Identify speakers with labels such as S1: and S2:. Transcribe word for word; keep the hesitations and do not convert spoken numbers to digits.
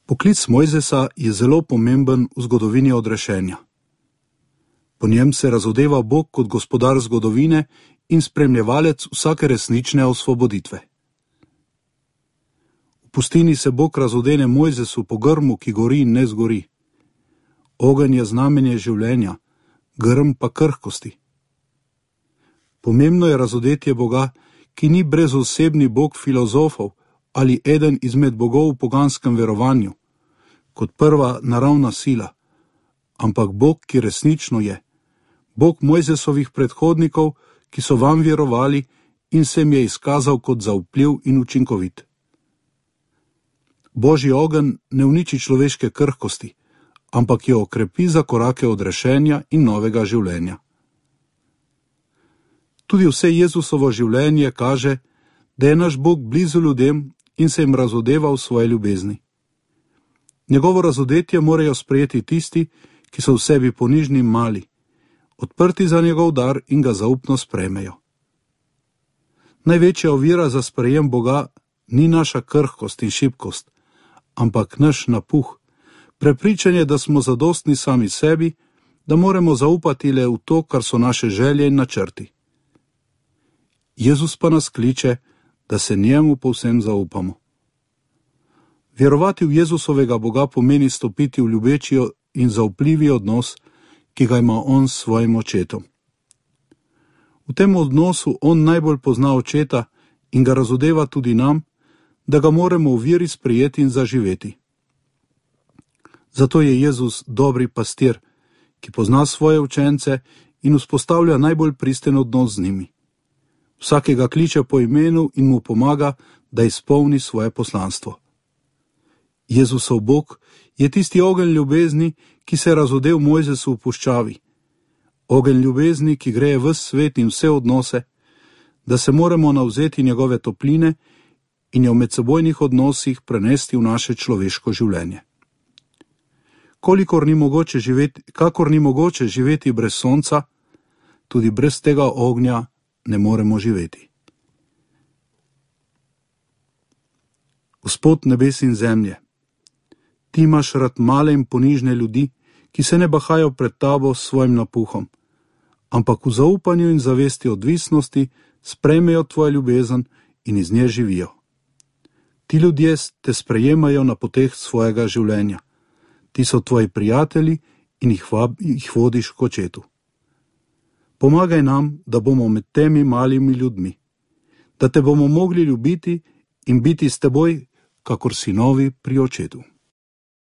S1: Poklic Mojzesa je zelo pomemben v zgodovini odrešenja. Po njem se razodeva Bog kot gospodar zgodovine in spremljevalec vsake resnične osvoboditve. V pustini se Bog razodene Mojzesu po grmu, ki gori in ne zgori. Ogenj je znamenje življenja, grm pa krhkosti. Pomembno je razodetje Boga, ki ni brezosebni Bog filozofov ali eden izmed bogov v poganskem verovanju, kot prva naravna sila, ampak Bog, ki resnično je, Bog Mojzesovih predhodnikov, ki so vam verovali in se jim je izkazal kot zaupljiv in učinkovit. Božji ogenj ne uniči človeške krhkosti, ampak jo okrepi za korake odrešenja in novega življenja. Tudi vse Jezusovo življenje kaže, da je naš Bog blizu ljudem in se jim razodeva v svoje ljubezni. Njegovo razodetje morajo sprejeti tisti, ki so v sebi ponižni in mali, odprti za njegov dar in ga zaupno sprejmejo. Največja ovira za sprejem Boga ni naša krhkost in šibkost, ampak naš napuh, prepričanje, da smo zadostni sami sebi, da moramo zaupati le v to, kar so naše želje in načrti. Jezus pa nas kliče, da se njemu povsem zaupamo. Verovati v Jezusovega Boga pomeni stopiti v ljubeči in zaupljivi odnos, ki ga ima on s svojim očetom. V tem odnosu on najbolj pozna očeta in ga razodeva tudi nam, da ga moramo v veri sprejeti in zaživeti. Zato je Jezus dobri pastir, ki pozna svoje učence in vzpostavlja najbolj pristen odnos z njimi. Vsakega kliče po imenu in mu pomaga, da izpolni svoje poslanstvo. Jezusov Bog je tisti ogenj ljubezni, ki se je razodel Mojzesu v puščavi. Ogenj ljubezni, ki greje ves svet in vse odnose, da se moramo navzeti njegove topline in jo v medsebojnih odnosih prenesti v naše človeško življenje. Kolikor ni mogoče živeti, kakor ni mogoče živeti brez sonca, tudi brez tega ognja ne moremo živeti. Gospod nebes in zemlje, ti imaš rad male in ponižne ljudi, ki se ne bahajo pred tabo s svojim napuhom, ampak v zaupanju in zavesti odvisnosti sprejmejo tvojo ljubezen in iz nje živijo. Ti ljudje te sprejemajo na poteh svojega življenja. Ti so tvoji prijatelji in jih, vab, jih vodiš k očetu. Pomagaj nam, da bomo med temi malimi ljudmi, da te bomo mogli ljubiti in biti s teboj, kakor sinovi pri očetu.